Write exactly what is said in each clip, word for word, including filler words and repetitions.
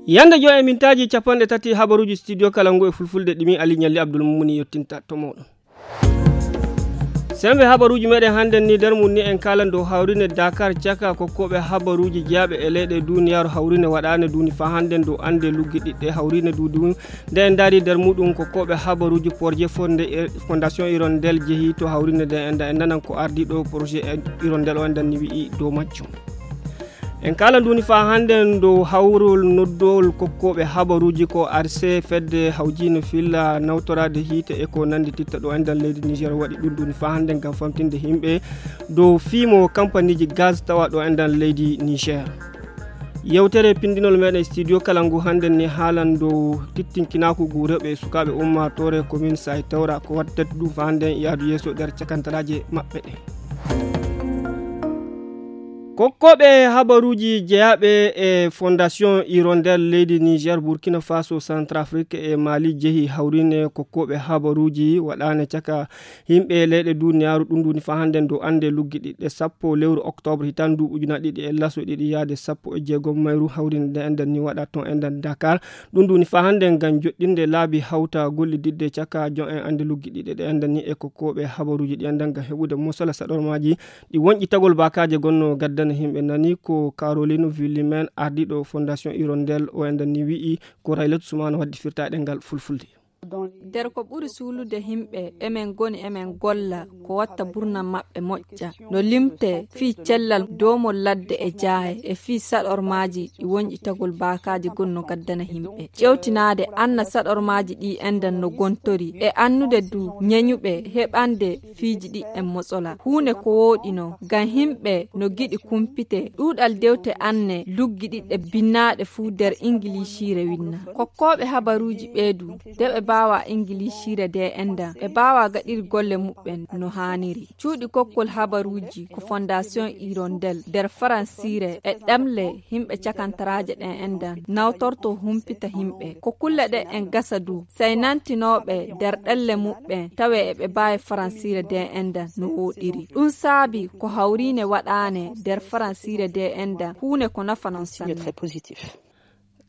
Yande jo e mintaaji capanɗe tati habaruuji studio kala ngu e fulfulde ɗimi Ali Ñalli Abdul Mumuni yottinta to mooɗon. Sembe habaruuji meɗen hannden ni nder mum ni en kaalan dow hawrine Dakar caka kokkooɓe habaruuji jeyaaɓe e leyɗe duniyaaru hawrine waɗaane duuni faa hannden dow annde luggiɗiɗɗe hawrine duudu nde en ndaari nder muɗum kokkooɓe habaruuji porje fonde e fondation irondel jehi to hawrine nde enda en nanan ko ardiiɗo projet irondel o endan ni wi'i dow majjum. En kala nduni faa hannden dow hawrol noddowol kokkooɓe habaruuji ko arse fedde hawjiino filla nawtoraade hiite e ko nanndi titta ɗo endan leydi niger waɗi ɗum nduni faa hannden ngam famtinde yimɓe dow fiimo kampaniiji gaz tawa ɗo endan leydi niger. Yewtere pindinol meɗen studio kala ngu hannden ni haalan dow tittinkinaaku ngu rewɓe e sukaaɓe ummaatoore commune say tawra ko wattata ɗum faa hannden yaadu yeeso nder cakantaraaje maɓɓe ɗe. Kokkooɓe habaruuji jeyaaɓe e fondation irondel leydi niger burkina faso centrafrique e mali jehi hawrine kokkooɓe habaruuji waɗaane caka yimɓe leyɗe duniyaaru ɗum nduni faa hannden dow annde luggiɗiɗɗe sappo lewru octobre hitan ndu ujuna ɗiɗi e laso ɗiɗi yaade sappo e jeegom mayru hawrinde nde endan ni waɗa ton endan dakar. Ɗum nduni faa hannden ngam joɗɗinde laabi hawta gollididde caka jon en annde luggiɗiɗɗe ɗe endan ni e kokkooɓe habaruuji ɗi endan ngam heɓude mosala saɗormaaji ɗi wonƴitagol baakaaje gonno gaddana yimɓe nani ko caroline villimen ardiiɗo fondation irondel o endan ni wi'i ko raylatu sumano waddi firta e ɗengal fulfulde. Nder ko ɓuri suulude yimɓe emen ngoni emen golla ko watta burna maɓɓe moƴƴa no limte fii cellal doomol ladde e jaaye e fii saɗormaaji ɗi wonƴitagol baakaaji gonno gaddana yimɓe ƴewtinaade anna saɗormaaji ɗi endan no gontori e annude du ñeñuɓe heɓande fiiji ɗi en motsola huune ko wooɗino ngam yimɓe no giɗi kumpite ɗuuɗal dewte anne luggiɗiɗɗe binnaaɗe fuu nder ingiliisiire winna kokkooɓe habaruuji ɓeedu nde ɓe mbaawa ingiliisiire nde endan ɓe mbaawa gaɗir golle muɓɓen no haaniri cuuɗi kokkol habaruuji ko fondation irondel nder faransiire e ɗemle yimɓe cakantaraaje ɗen endan nawtorto humpita yimɓe ko kulle ɗe en gasa du saynantinooɓe nder ɗelle muɓɓen tawe eɓe mbaawi faransiire nde endan no wooɗiri ɗum saabi ko hawriine waɗaane nder faransiire nde endan huune ko nafa non sanne.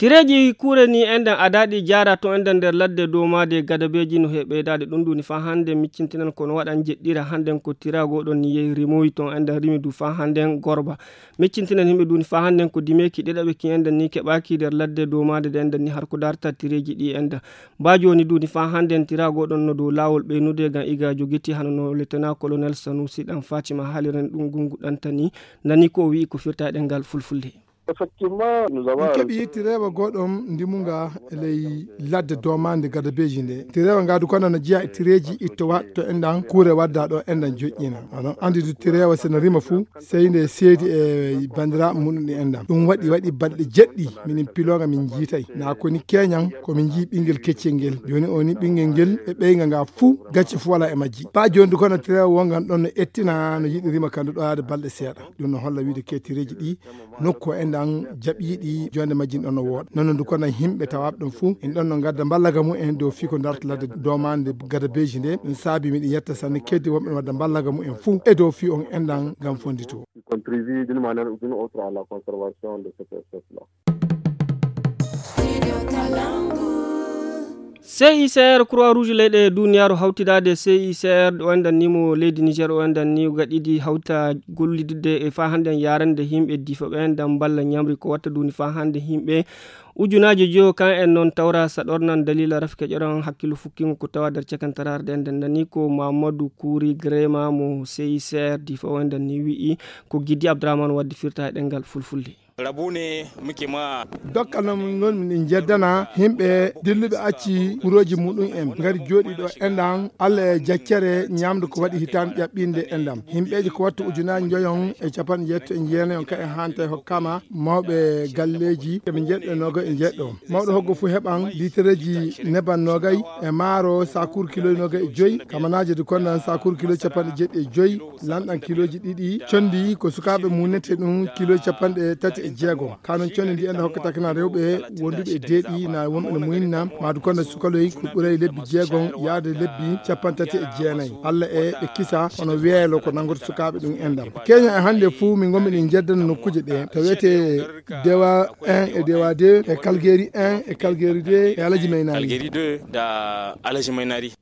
Tireeji kuure ni enɗen adaaɗi jaara to enɗen nder ladde dow maade gadabeeji no he ɓeydaade ɗum ɗum ni faa hannde miccintinan kono waɗan jeɗɗira hannden ko tira goɗon ni yehi rimoyi to enɗen rimi du faa hannden gorba miccintinan yimɓe duni faa hannden ko dimeeki ɗeɗaɓe ki enɗen ni keɓaaki nder ladde dow maade ɗe enɗen ni har ko darta tireeji ɗi enɗen mbaa jooni duni faa hannden tira goɗon no dow laawol ɓeynude ngam iga jogiti hano no letena kolonel sanusi ɗan fatima haaliren ɗum gungu ɗantani nani ko o wi'i ko firta e ɗengal fulfulde. Effectivement, nous avons en keɓi tirewa goɗɗo ndimunga e ley ladde domande gadabeji nde tirewa nga du kono no jeeya e tireji ittowa to enɗan kuure wadda ɗo enɗan joƴƴina. Onon andi du tirewa seno rima fu sey nde seedi e bandiraɓe muɗum ɗi enɗan ɗum waɗi waɗi balɗe jeɗɗi minin piloga min jiitay na koni keñan ko min jii ɓingel keccel ngel. Joni o ni ɓingel ngel e ɓeyga nga fu gacce fu wala e majji ba joni du kono tirewa wongan ɗon no ettina no yiɗi rima kandu ɗo yaade balɗe seeɗa. Ɗum no holla wiide ketireeji ɗi nokku o enɗan jaɓiiɗi jonde majji ɗon no wooɗa nono ndu kono yimɓe tawaaɓe ɗon fuu en ɗon no ngadda mballaga mum en dow fii ko darta ladde domande gada beeji nde ɗum saabi miɗo yetta sanne keddi wonɓe no wadda mballaga mum en fuu e dow fii on enɗan ngam fondito. Contribue d'une manière ou d'une autre à la conservation de cette espèce là. C I C R Croix Rouge leyɗe duniyaaru hawtidaade C I C R ɗo enɗan ni mo leydi Niger o enɗan ni gaɗidi hawta gollidde e faa hannden yaarande yimɓe difo ɓe enɗan mballa ñamri ko watta duni faa hannde yimɓe ujunaaji joyo kan en noon tawra saɗornan dalila rafike ƴoran hakkillo fukkingo ko tawa nder cakantararde enɗan nani ko Mamadou Kouri Grema mo C I C R difo o enɗan ni wi'i ko Gidi Abdourahmane waddi firta e ɗengal fulfulde. Rabu ne muke ma. Dokkal no min ngoni min jeddana yimɓe dilluɓe acci guroji muɗum en ngari jooɗi ɗo enɗan Allah e jaccere ñamdu ko waɗi hitande ƴaɓɓinde enɗam yimɓeji ko wattu ujunaji njoyon e capanɗe jeetto e jeenayon ka en hanta e hokkama mawɓe galleji eɓe jeɗɗo e noga e jeɗɗo mawɗo hoggo fu heɓan litereji neban nogay e maaro sakur kilo nogay e joyi kamanaje du konnan sakur kilo capanɗe jeeɗi e joyi lanɗan kiloji ɗiɗi condi ko sukaɓe munete ɗum kilo capanɗe tati e Jeegom. Kanun conni ndi enda hokkata kana rewɓe wonduɓe e deeɗi na wonɓe no muynna maadu konda sukaloy ko ɓuray lebbi jeegom yaade lebbi capanɗe tati e jeenayi. Alla e ɓe kisa hono weelo ko nangoto sukaaɓe ɗum endam. Keenya e hannde fuu min ngommi ɗin jeddana nokkuuje ɗe. To wiyetee Dewa un e Dewa deux e Kalgeri un e Kalgeri deux e Alaji Maynari. Kalgeri deux da Alaji Maynari.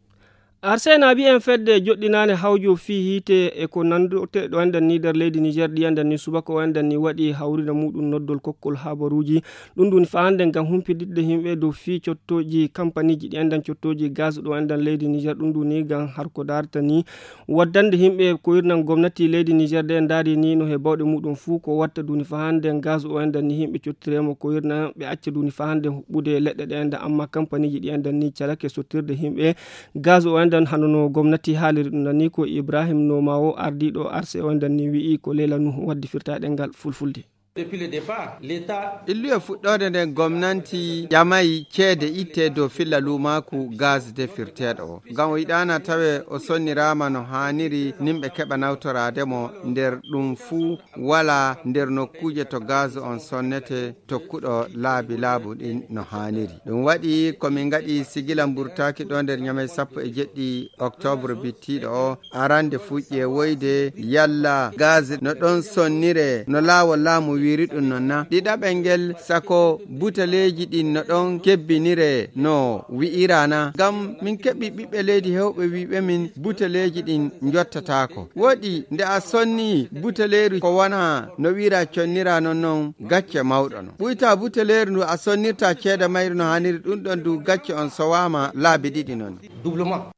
Arsena mbiyen fedde joɗɗinaande hawjo fii hiite e ko nannduɗe ɗo enɗan ni nder leydi Niger ɗi enɗan ni subaka o enɗan ni waɗi hawrina muɗum noddol kokkol habaruuji. Ɗum ɗum fa hannde ngam humpididde yimɓe dow fii cottooji kampaniiji ɗi enɗan cottooji gaz ɗo enɗan leydi Niger. Ɗum ɗum ni ngam har ko darta ni waddande yimɓe ko irnan gomnati leydi Niger ɗe ndaari ni no he bawɗe muɗum fuu ko watta duni fa hannde gaz o enɗan ni yimɓe cottiremo ko irnan ɓe acca duni fa hannde huɓɓude leɗɗe ɗe enɗan amma kampaniiji ɗi enɗan ni calake sottirde yimɓe gaz o enɗan hano no gomnati haaliri ɗum ɗan ni ko Ibrahim Noma o ardiiɗo arse o enɗan ni wi'i ko Leila Nuhu waddi firtaaɗe ngal fulfulde. Depuis le départ, l'État Illuye fuɗɗoode nden gomnanti ƴamay ceede itte dow filla luumaaku gaz defirteeɗo o. Ngam o yiɗaana tawe o sonniraama no haaniri nimɓe keɓa nawtoraade mo nder ɗum fuu wala nder nokkuuje to gaz on sonnete tokkuɗo laabi laabu ɗin no haaniri. Ɗum waɗi ko min ngaɗi sigila mburtaaki ɗo nder ñamay sappo e jeɗɗi octobre bittiiɗo o arande fuu ƴeewoyde yalla gaz no ɗon sonnire no laawol laamu wiiri ɗum non na. Ɗiɗaɓel ngel sako buteleeji ɗin no ɗon kebbinire no wi'irana. Ngam min keɓi ɓiɓɓe leydi hewɓe wi'ɓe min buteleeji ɗin njottataako. Woɗi nde a sonni buteleeru ko wona no wi'ira connira non non gacce mawɗo non. Ɓuyta buteleeru ndu a sonnirta ceede mayru no haaniri ɗum ɗon du gacce on sowaama laabi ɗiɗi non. Doublement.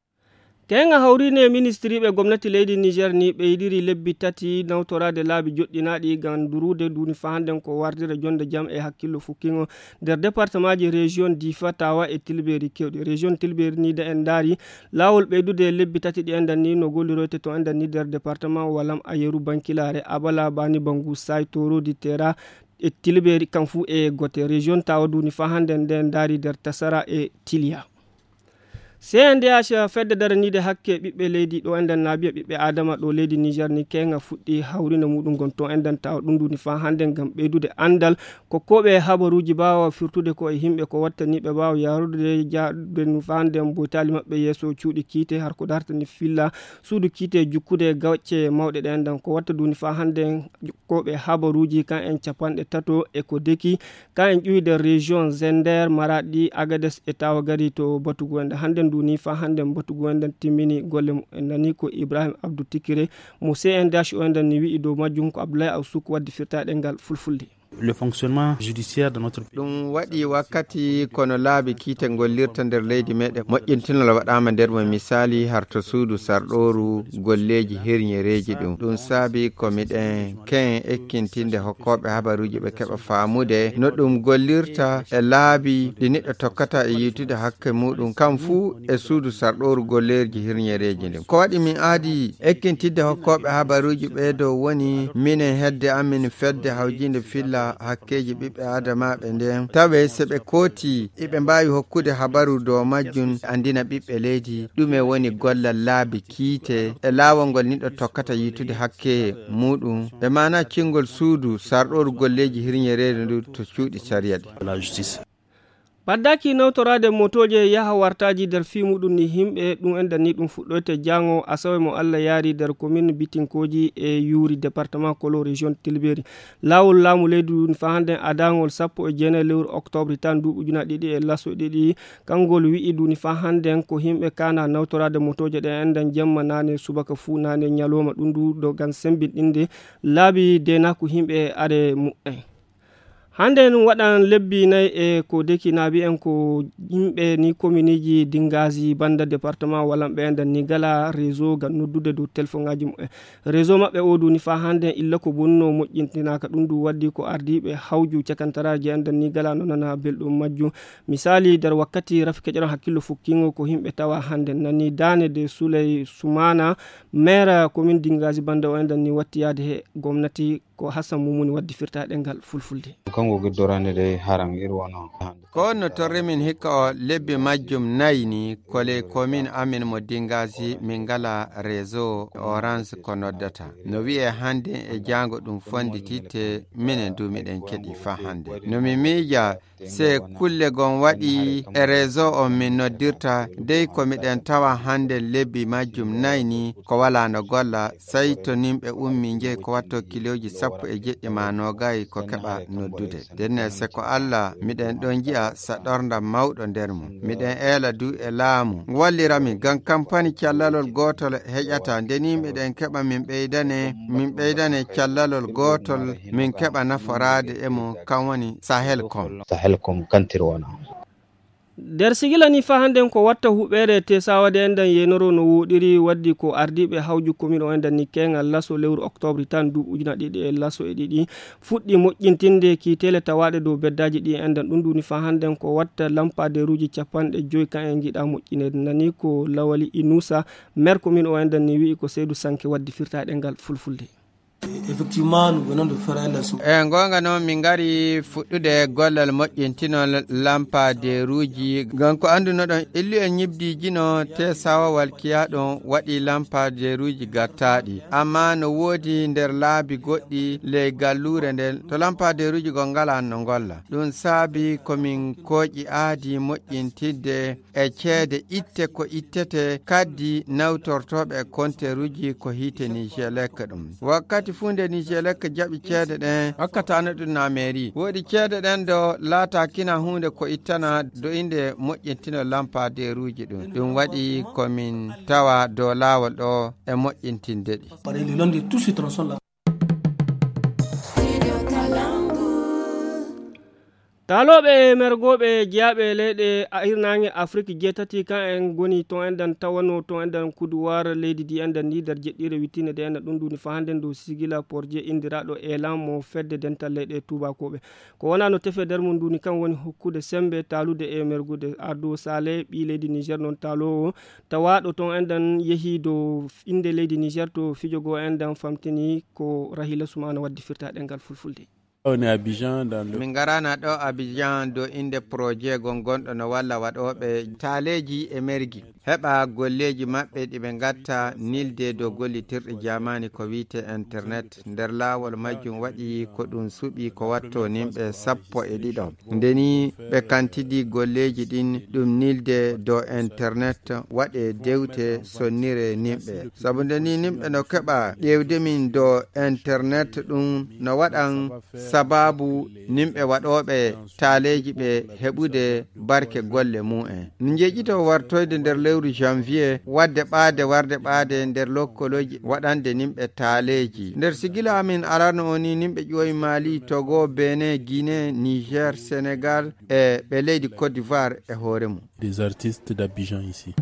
Keŋa hawrini e ministiriiɓe gomnati leydi Niger ni ɓeydiri lebbi tati nawtoraade laabi joɗɗinaaɗi ngam durude duuni fa hannden ko wardira jonde jam e hakkillo fukkingo nder departemaaji region Difa, Tawa e Tilberi kewɗi. Region Tilberi ni da en ndaari laawol ɓeydude lebbi tati ɗi enɗan ni no golliroyte to enɗan ni nder departement Walam, Ayeru, Bankilaare, Abala, Bani Bangu, Say, Torodi, Tera e Tilberi kam fuu e gote. Region Tawa duuni fa hannden nde ndaari nder Tasara e Tiliya. C N D H fedde daraniide hakke ɓiɓɓe leydi ɗo enɗan naabiya ɓiɓɓe Adama ɗo leydi Niger ni keŋa fuɗɗi hawrinde muɗum gon to enɗan tawa ɗum duuni fa hannden ngam ɓeydude anndal kokkooɓe habaruuji baawa firtude ko e yimɓe ko wattani ɓe baawa yaarude jaadude nu fa hannden boytaali maɓɓe yeeso cuuɗi kiite har ko dartani filla suudu kiite jukkude gacce mawɗe ɗe enɗan ko watta duuni fa hannden koɓe habaruuji kan en capanɗe tato e ko deki kan en ƴuwi nder région Zender, Maradi, Agades e Tawa gari to batugu enɗan hannden duuni fa hannden batugu enɗan timmini golle mumen nani ko Ibrahim Abdou Tikire mo C N D H o enɗan ni wi'i dow majjum ko Abdoulaye Awsuk waddi firtaɗe ngal fulfulde. Le fonctionnement judiciaire de notre pays. Ɗum waɗi wakkati kono laabi kiite ngollirta nder leydi meɗen moƴƴintinol waɗaama nder mo misali harto suudu sarɗooru golleeji herñereeji ɗum. Ɗum saabi ko miɗen ken ekkintinde hokkooɓe habaruuji ɓe keɓa faamude no ɗum gollirta e laabi ɗi neɗɗo tokkata e yiytude hakke muɗum kam fuu e suudu sarɗooru golleeji herñereeji ndin. Ko waɗi min aadi ekkintinde hokkooɓe habaruuji ɓee dow woni minen hedde amin fedde hawjinde filla hakkeeji ɓiɓɓe aadamaaɓe nden. Tawe so ɓe kooti iɓe mbaawi hokkude habaru dow majjum anndina ɓiɓɓe leydi ɗume woni gollal laabi kiite e laawol ngol neɗɗo tokkata yiytude hakke muɗum. E maana cingol suudu sarɗooru golleeji hirñereedu ndu to cuuɗi sariya ɗi. Ɓaddaaki nawtoraade motooje yaha wartaaji nder fii muɗum ni yimɓe ɗum enɗan ni ɗum fuɗɗoyte jaango asawe mo Allah yaari nder komin bitinkooji e yuuri département kolo région Tilberi. Laawol laamu leydi ɗum fa hannden adaangol sappo e jeenayi lewru octobre tan nduuɓu ujuna ɗiɗi e laso ɗiɗi kangol wi'i ɗum fa hannden ko yimɓe kana nawtoraade motooje ɗe enɗan jemma naane subaka fuu naane ñalooma ɗum ndu dogan sembinɗinde laabi deenaaku yimɓe are mu'en. Hannde en waɗan lebbi nayi e ko deki naabi en ko yimɓe ni kominiiji dinngaaji bannda département walanɓe enɗan ni gala réseau ngam noddude dow telefoŋaaji mumen. Réseau maɓɓe o duni fa hannde illa ko bonno moƴƴintinaaka ɗum ndu waddi ko ardiiɓe hawju cakantaraaji enɗan ni gala no nana belɗum majjum. Misali nder wakkati rafi keƴoran hakkillo fukkingo ko yimɓe tawa hannde nani daane de Souley Soumana maire commune dinngaaji bannda o enɗan ni watti yaade he gomnati Ko Hassan Mumuni waddi firta ɗengal fulfulde. Kanko giddoraande dey haran iri wano hannde. Ko no torri min hikka o lebbi majjum nayi ni, ko ley komin amin mo Dingaasi, min ngala réseau Orange ko noddata. No wi'e hannde e jaango ɗum fondititte, minen du miɗen keɗi fa hannde. No mi miija, se kulle gon waɗi e réseau on min noddirta, dey ko miɗen tawa hannde lebbi majjum nayi ni ko walaa no golla, sey to nimɓe ummi njehi ko watto kilooji sappo e jeɗɗi ma noogay ko keɓa noddude. Ndenne se ko Alla miɗen ɗon ji'a saɗornda mawɗo nder mum. Miɗen eela du e laamu wallira min ngam kampani callalol gootol heƴata. Nde ni miɗen keɓa min ɓeydane, min ɓeydane callalol gootol min keɓa naforaade e mum, kan woni Sahel com. Sahel com kantir wona. Nder sigila ni fa hannden ko watta huɓeere te sawade enɗan yenoro no woɗiri waddi ko ardiiɓe hawju komin o enɗan ni keŋal laso lewru oktobri tan du ujuna ɗiɗi e laso e ɗiɗi fuɗɗi moƴƴintinde ki tele tawaaɗe dow beddaaji ɗi enɗan ɗum ɗum ni fa hannden ko watta lampadeeruuji capanɗe joyi kan en ngiɗa moƴƴineede nani ko lawali inuusa. Mer komin o enɗan ni wi'i ko seydu sanke waddi firtaaɗe ngal fulfulde. E goonga noon, min ngari fuɗɗude gollal moƴƴintinol lampadeeruuji. Ngam ko anndunoɗon, illu en ñibdiijino te sawawal kiyaaɗon waɗi lampadeeruuji gattaaɗi. Ammaa no woodi nder laabi goɗɗi ley galluure nden to lampadeeruuji goo ngalaa no ngolla. Ɗum saabi ko min kooƴi aadi moƴƴintidde e ceede itte ko ittete kaddi nawtortooɓe e konteeruuji ko hiite Nijelek ɗum. Wakkati fuu nde Nijelek jaɓi ceede ɗen, hokkataano ɗum na meeri. Woodi ceede ɗen ɗo laataakina huunde ko ittana do innde moƴƴintino lampadeeruuji ɗum. Ɗum waɗi ko min tawa dow laawol ɗo e moƴƴintinde ɗi. Taalooɓe e mergooɓe jeyaaɓe e leyɗe a-, hirnaange Afrik jeetati, kan en ngoni ton enɗan tawano ton enɗan kuduwar leydi ndi enɗan ndi nder jeɗɗiire wittiinde nde enɗan ɗum nduni fa hannden dow sigila porje inndiraaɗo Elan mo fedde dental leyɗe tuubakooɓe. Ko wonaa no tefe nder mum nduni kan woni hokkude semmbe taalude e mergude. Ardo Sale ɓii leydi Niger noon taaloowo tawaaɗo ton enɗan yehi dow innde leydi Niger to fijo goo enɗan famtini ko Rahila Sumana waddi firtaaɗe ngal fulfulde. On est Abidjan dans le Min ngaraana ɗo Abidjan dow innde projet goo gonɗo no walla waɗooɓe taaleeji e mergi. Heɓa golleeji maɓɓe ɗi ɓe ngatta nilde dow gollitirɗe jaamaani ko wiyte internet. Nder laawol majjum waɗi ko ɗum suɓi ko watto nimɓe sappo e ɗiɗo. Nde ni ɓe kantidi golleeji ɗin ɗum nilde dow internet waɗe dewte sonnire nimɓe. Sabu nde ni nimɓe no keɓa ƴeewde min dow internet ɗum no waɗan sababu nimɓe waɗooɓe taaleeji ɓe heɓude barke golle mum en. No njeƴito wartoyde nder lewru janvier, wadde ɓaade warde ɓaade nder lokkolooji waɗande nimɓe taaleeji. Nder sigila amin arano o ni nimɓe ƴooyi Mali, Togo, Benin, Guinée, Niger, Sénégal e ɓe leydi Côte d'Ivoire e hoore mum. Des artistes d'Abidjan ici.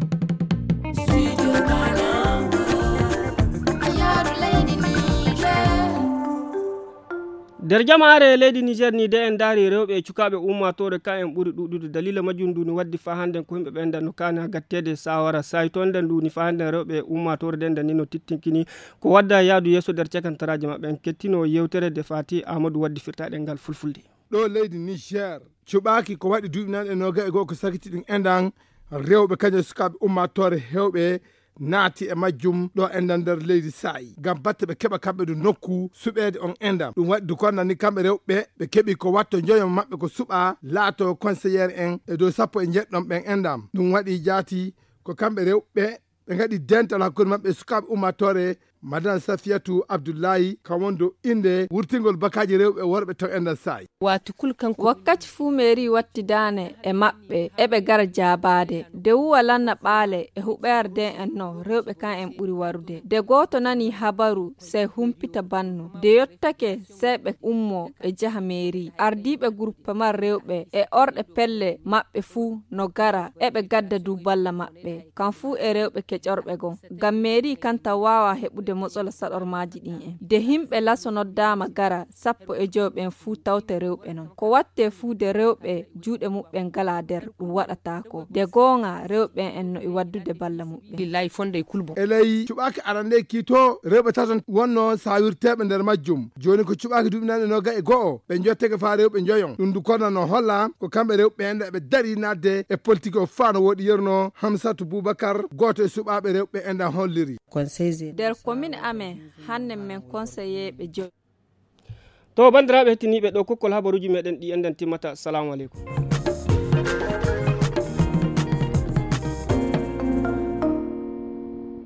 Nder jamaare leydi Niger ni de en ndaari rewɓe e cukaaɓe ummaatoore ka en ɓuri ɗuuɗude. Daliila majjum ndu ni waddi faa hannden ko yimɓe ɓen ndan no kaani haa gatteede saawara saa'i toon nden ndu ni faa hannden rewɓe ummaatoore nden ndan ni no tittinkini ko wadda yaadu yeeso nder cakantaraaji maɓɓe. En kettino yeewtere de Fati Amadou waddi firtaaɗe ngal fulfulde. Ɗo leydi Niger cuɓaaki ko waɗi duuɓi nanɗe noogay e go'o ko sakiti ɗum enɗan rewɓe kañum e sukaaɓe ummaatoore heewɓe naati e majjum ɗo enɗan nder leydi saa'i ngam batte ɓe keɓa kamɓe du nokku suɓeede on enɗan. Ɗum waɗi du konnani kamɓe rewɓe ɓe keɓi ko watto njoyo maɓɓe ko suɓa laato conseillere en e dow sappo e njeɗɗon ɓen enɗan. Ɗum waɗi jaati ko kamɓe rewɓe ɓe ngaɗi dental hakkunde maɓɓe e sukaaɓe ummaatoore. Madame Safiyatu Abdullahi kan woni dow innde wurtingol bakaaji rewɓe e worɓe to enɗan saa'i. Waati kul kanko. Wakkati fuu meeri wattidaane e maɓɓe eɓe gara jaabaade de wuwa lanna ɓaale e huɓeere de en no rewɓe kan en ɓuri warude de gooto nani habaru sey humpita banno de yottake sey ɓe ummo ɓe jaha meeri. Ardiiɓe gurpamar rewɓe e orɗe pelle maɓɓe fuu no gara eɓe gadda du balla maɓɓe kan fuu e rewɓe keƴorɓe gon ngam meeri kan tan waawa heɓude Motsolo saɗormaaji ɗin en. De himɓe laso noddaama gara sappo e joyo ɓen fuu tawte rewɓe non. Ko wattee fuu de rewɓe juuɗe muɓɓen ngalaa der ɗum waɗataako. De goonga rewɓe en no e waddude balla muɓɓen. Lillahi fonde e kulbo. Eley cuɓaaki arande kiito rewɓe taton wonno saawirteeɓe nder majjum. Jooni ko cuɓaaki duuɓi nanɗe noga e go'o ɓe jotteke faa rewɓe njoyon. Ɗum du konna no holla ko kamɓe rewɓe en ɓe dari naatde e politik o faa no woɗi yerno Hamsatu Bubakar, gooto e suɓaaɓe rewɓe en ɗan holliri. Nder komin amen, hanne men konseyeeɓe joy. To, banndiraaɓe hettiniiɓe, ɗo kokkol habaruuji meɗen ɗi enɗen timmata. Salaamu aleykum.